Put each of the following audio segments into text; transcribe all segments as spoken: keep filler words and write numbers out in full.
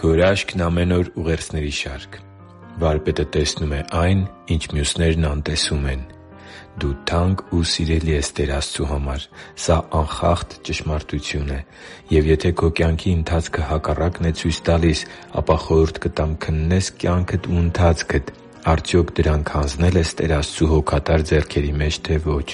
Գորաշքն ամեն օր ուղերձների շարք։ Վարպետը տեսնում է այն, ինչ մյուսներն անտեսում են։ Դու թանկ ու սիրելի ես Տեր Աստծու համար։ Սա անխախտ ճշմարտություն է։ Եվ եթե քո կյանքի ընթացքը հակառակն է ցույց տալիս, ապա խորհուրդ կտամ քննես կյանքդ ու ընթացքդ՝ արդյոք դրանք հանձնե՞լ ես Տեր Աստծու հոգատար ձեռքերի մեջ, թե ոչ։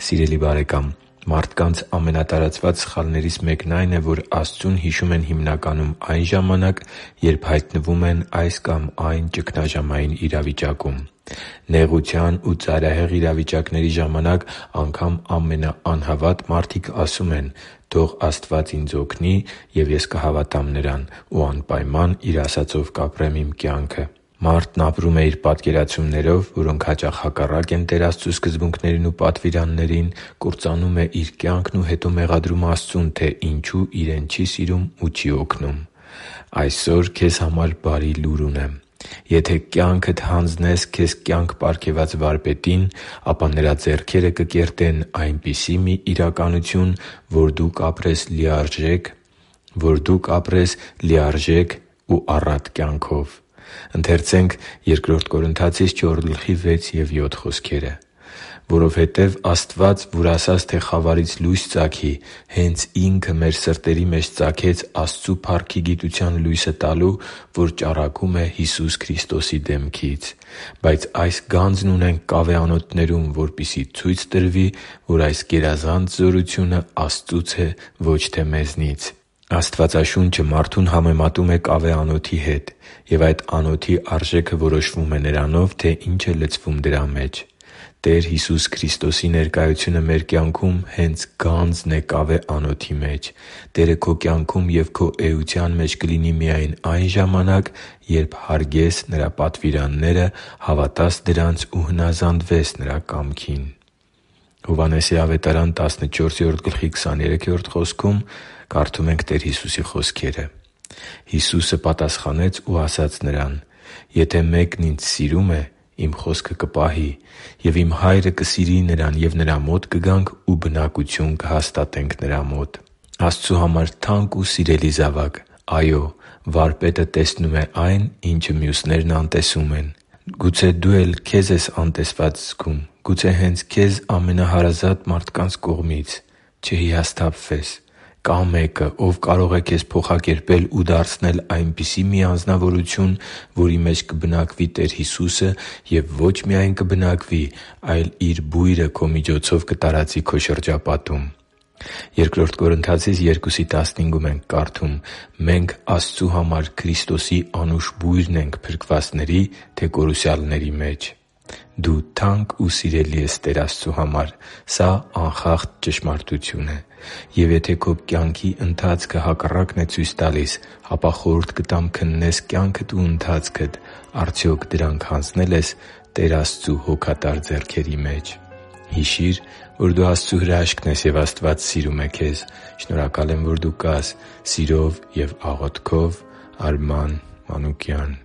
Սիրելի՛ բարեկամ, մարդկանց ամենատարածված սխալներից մեկն այն է, որ Աստծուն հիշում են հիմնականում այն ժամանակ, երբ հայտնվում են այս կամ այն ճգնաժամային իրավիճակում։ Նեղության ու ծայրահեղ իրավիճակների ժամանակ անգամ ամենաանհավատ մարդիկ ասում են՝ «Թող Աստված ինձ օգնի, և ես կհավատամ Նրան ու անպայման Իր ասածով կապրեմ իմ կյանքը»։ Մարդն ապրում է իր պատկերացումներով, որոնք հաճախ հակառակ են Տեր Աստծու սկզբունքներին ու պատվիրաններին, կործանում է իր կյանքն ու հետո մեղադրում Աստծուն, թե ինչու իրեն չի սիրում ու չի օգնում։ Այսօր քեզ համար բարի լուր ունեմ։ Եթե կյանքդ հանձնես քեզ կյանք պարգևած Վարպետին, ապա Նրա ձեռքերը կկերտեն այնպիսի մի իրականություն, որ դու կապրես լիարժեք ու առատ կյանքով։ «Որովհետև Աստված, որ ասաց, թե խավարից լույս ծագի, հենց Ինքը մեր սրտերի մեջ ծագեց Աստծու փառքի գիտության լույսը տալու, որ ճառագում է Հիսուս Քրիստոսի դեմքից։ Բայց այս գանձն ունենք կավեանոթներում, որպեսզի ցույց տրվի, որ այս գերազանց զորությունը Աստծուց է, ոչ թե մեզնից» (Բ Կորնթացիս յոթ ութ)։ Աստվածաշունչը մարդուն համեմատում է կավեանոթի հետ, և այդ անոթի արժեքը որոշվում է նրանով, թե ինչ է լցվում դրա մեջ։ Տեր Հիսուս Քրիստոսի ներկայությունը մեր կյանքում հենց գանձն է կավեանոթի մեջ։ Տերը քո կյանքում և քո էության մեջ կլինի միայն այն ժամանակ, երբ հարգես Նրա պատվիրանները, հավատաս դրանց ու հնազանդվես Նրա կամքին։ Հովհաննես ավետարան տասնչորսերորդ գլխի քսաներեքրորդ խոսքում կարդում ենք Տեր Հիսուսի խոսքերը. «Հիսուսը պատասխանեց ու ասաց նրան. «Եթե մեկն Ինձ սիրում է, Իմ խոսքը կպահի, և Իմ Հայրը կսիրի նրան, և նրա մոտ կգանք ու բնակություն կհաստատենք նրա մոտ»։ Աստծու համար թանկ ու սիրելի՛ զավակ, այո՛, Վարպետը տեսնում է այն, ինչը մյուսներն անտեսում են։ Գուցե դու էլ քեզ ես անտեսված զգում։ Գուցե հենց քեզ ամենահարազատ մարդկանց կողմից։ Չհիասթափվե՛ս։ Կա Մեկը, Ով կարող է քեզ փոխակերպել ու դարձնել այնպիսի մի անձնավորություն, որի մեջ կբնակվի Տեր Հիսուսը և ոչ միայն կբնակվի, այլ Իր բույրը քո միջոցով կտարածի քո շրջապատում։ Բ Կորնթացիս երկու տասնհինգում ենք կարդում. «Մենք Աստծու համար Քրիստոսի անուշ բույրն ենք փրկվածների, թե կորուսյալների մեջ»։ Դու թանկ ու սիրելի ես Տեր Աստծու համար։ Սա անխախտ ճշմարտություն է։ Եվ եթե քո կյանքի ընթացքը հակառակն է ցույց տալիս, ապա խորհուրդ կտամ քննես կյանքդ ու ընթացքդ՝ արդյոք դրանք հանձնե՞լ ես Տեր Աստծու հոգատար ձեռքերի մեջ։ Հիշի՛ր, որ դու Աստծո հրաշքն ես, և Աստված սիրում է քեզ։ Շնորհակալ եմ, որ դու կա՛ս։ Սիրով և աղոթքով, Արման Մանուկյան։